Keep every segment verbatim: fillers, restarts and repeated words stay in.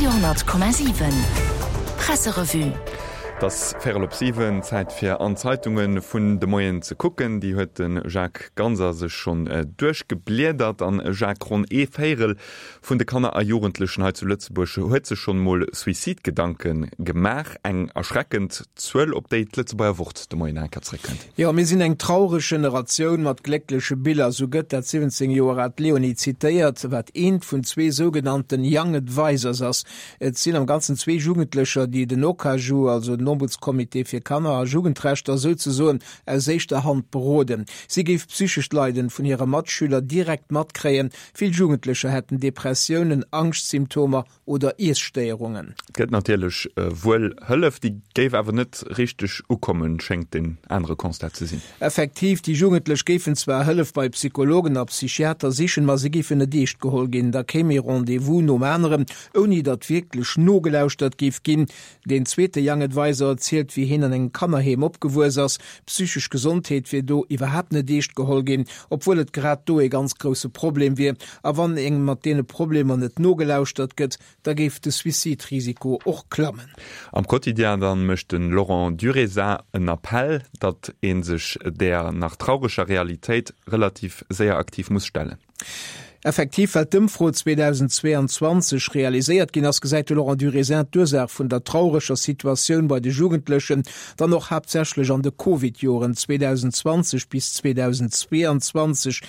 Radio honnert Komma siwen Presserevue. Et ass véierel op siwen, Zäit fir an d'Zeitunge vun de Moien ze kucken. Déi huet de Jacques Ganser sech schonn duerchgebliedert. An Jacques, ronn ee Véierel vun de Kanner a Jugendlechen hei zu Lëtzebuerg huet sech schonn emol Suicidegedanke gemaach. Eng erschreckend Zuel, op déi d'Lëtzebuerger Wort de Moien enker zréckkënnt. Jo, mir sinn eng traureg Generatioun mat gléckleche Biller, sou gëtt dat siwwenzéng Joer aalt Leonie zitéiert, wat eent vun zwee sougenannten Young Advisors ass. Et sinn am Ganzen zwee Jugendlecher, déi den Okaju, also den Ombudscomité fir Kanner a Jugendrechter, souzesoen aus éischter Hand beroden. Si géif psychescht Leiden vun hire Matschüler direkt matkréien. Vill Jugendlecher hätten Depressiounen, Angschtsymptomer oder Iesstéierungen. Et gëtt natierlech wuel Hëllef, déi géif awer net richteg ukommen, schéngt den anere Constat ze sinn. Effektiv, déi Jugendlech géifen zwar Hëllef bei Psychologen a Psychiater sichen, ma se géifen net eescht geholl ginn. Da kéim ee Rendez-vous nom aneren, ouni datt wierklech nogelauschtert géif ginn. Deen zweete Young Advisor erzielt, wéi hien an engem Kannerheem opgewuess ass. D'psychesch Gesondheet wier do iwwerhaapt net eescht geholl ginn, obwuel et grad do ee ganz grousse Problem wier. A wann engem mat deene Problemer net nogelauschtert gëtt, da géif de Suicide-Risiko och klammen. Am Quotidien dann mécht de Laurent Durézin en Appell, datt ee sech där nach traureger Realitéit relativ séier aktiv muss stellen. Effektiv, well d'Ëmfro zweedausendzweeanzwanzeg realiséiert ginn ass, gesäit de Laurent Durézin d'Ursaach vun der traureger Situatioun bei de Jugendlechen dann och haaptsächlech an de Covid-Joren zweedausendzwanzeg bis zweedausendzweeanzwanzeg,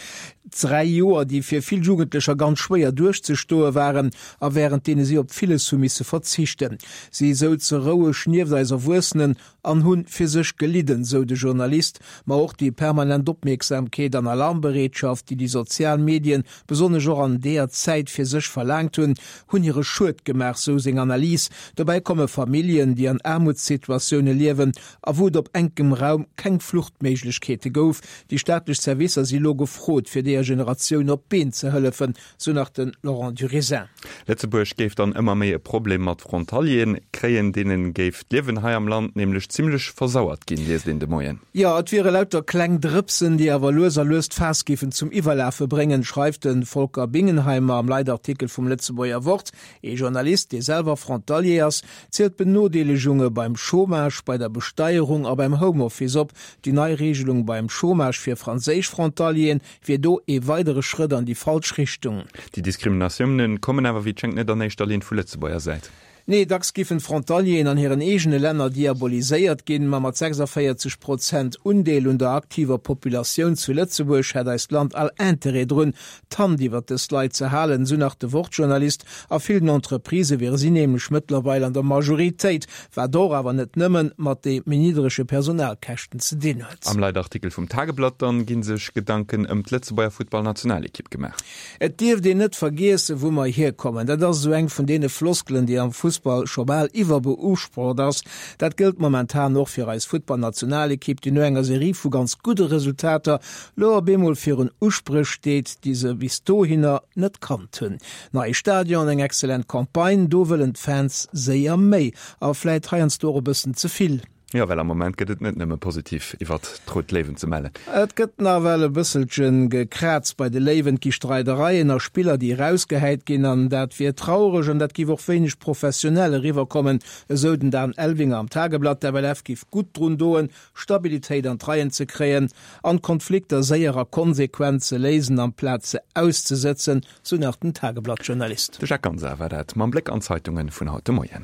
dräi Joer, déi fir vill Jugendlecher ganz schwéier duerchzestoe waren a wärend deene si op villes hu misse verzichten. Si souze roueg nieft eis Erwuessenen an hunn fir sech gelidden, sou de Journalist. Ma och déi permanent Opmierksamkeet an Alarmbereetschaft, déi déi sozial Medien besonnesch och an deeër Zäit fir sech verlaangt hunn, hunn hire Schued gemaach, sou seng Analys. Dobäi komme Familljen, déi an Aarmutssituatioune liewen a wou et op enkem Raum keng Fluchtméiglechkeete gouf. Déi staatlech Servicer si lo gefrot, fir deeër Generatioun op d'Been ze hëllefen, sou nach de Laurent Durézin. Lëtzebuerg géif dann ëmmer méi e Problem mat Frontalieren kréien, deene géif d'Liewen hei am Land nämlech zimlech versauert ginn, liest een de Moien. Jo, et wiere lauter kleng Drëpsen, déi awer lues a lues d'Faass géifen zum Iwwerlafe bréngen, schreift de Volker Bingenheimer am Leitartikel vum Lëtzebuerger Wort. Ee Journalist, dee selwer Frontalier ass, zielt d'Benodeelegunge beim Chômage, bei der Besteierung a beim Homeoffice op. Déi nei Reegelung beim Chômage fir franséisch Frontalieren wier do ee weidere Schrëtt an déi falsch Richtung. Déi Diskriminatiounen kommen awer wéi et schéngt net an éischter Linn vu Lëtzebuerger Säit. Nee, dacks giffen d'Frontalieren an hiren eegene Länner diaboliséiert ginn, ma mat sechsundvéierzeg Prozent Undeel un der aktiver Populatioun zu Lëtzebuerg hätt eist Land all Interêt drun, d'Hand iwwert dës Leit ze halen, sou nach de Wort-Journalist. A villen Entreprisë wiere si nämlech mëttlerweil an der Majoritéit, wat och awer net nëmmen mat de méi niddrege Personalkäschten ze dinn huet. Am Leitartikel vum Tageblatt dann gi sech Gedanken ëm d'Lëtzebuerger Futtballnationalekipp gemaach. Et dierft een net vergiessen, wou mer hierkommen. Dat ass esou eng vun deene Floskelen, déi am Fussball scho bal iwwerbeusprocht ass. Dat gëllt momentan och fir eis Futtballnationalekipp, déi no enger Serie vu ganz gudde Resultater lo op eemol virun Uspréch steet, déi se bis dohinner net kannt hunn. Neie Stadion, eng excellent Campagne, do wëllen d'Fans séier méi a vläit heiansdo och e bëssen ze vill. Jo, well am Moment gëtt et net nëmme positiv iwwert d'Rout Léiwen ze mellen. Et gëtt nawell e bësselche gekraazt bei de Léiwen. Et gi Streidereien a Spiller, déi erausgehäit ginn an dat wier traureg an dat géif och wéineg professionell eriwwerkommen, esou den Dan Elvinger am Tageblatt. D'FLF géif gutt drun doen, Stabilitéit an d'Reien ze kréien an d'Konflikter séier a konsequent ze léisen, amplaz se auszesëtzen, sou nach den Tageblatt-Journalist. De Jacques Ganser war dat mam Bléck an d'Zeitunge vun haut de Moien.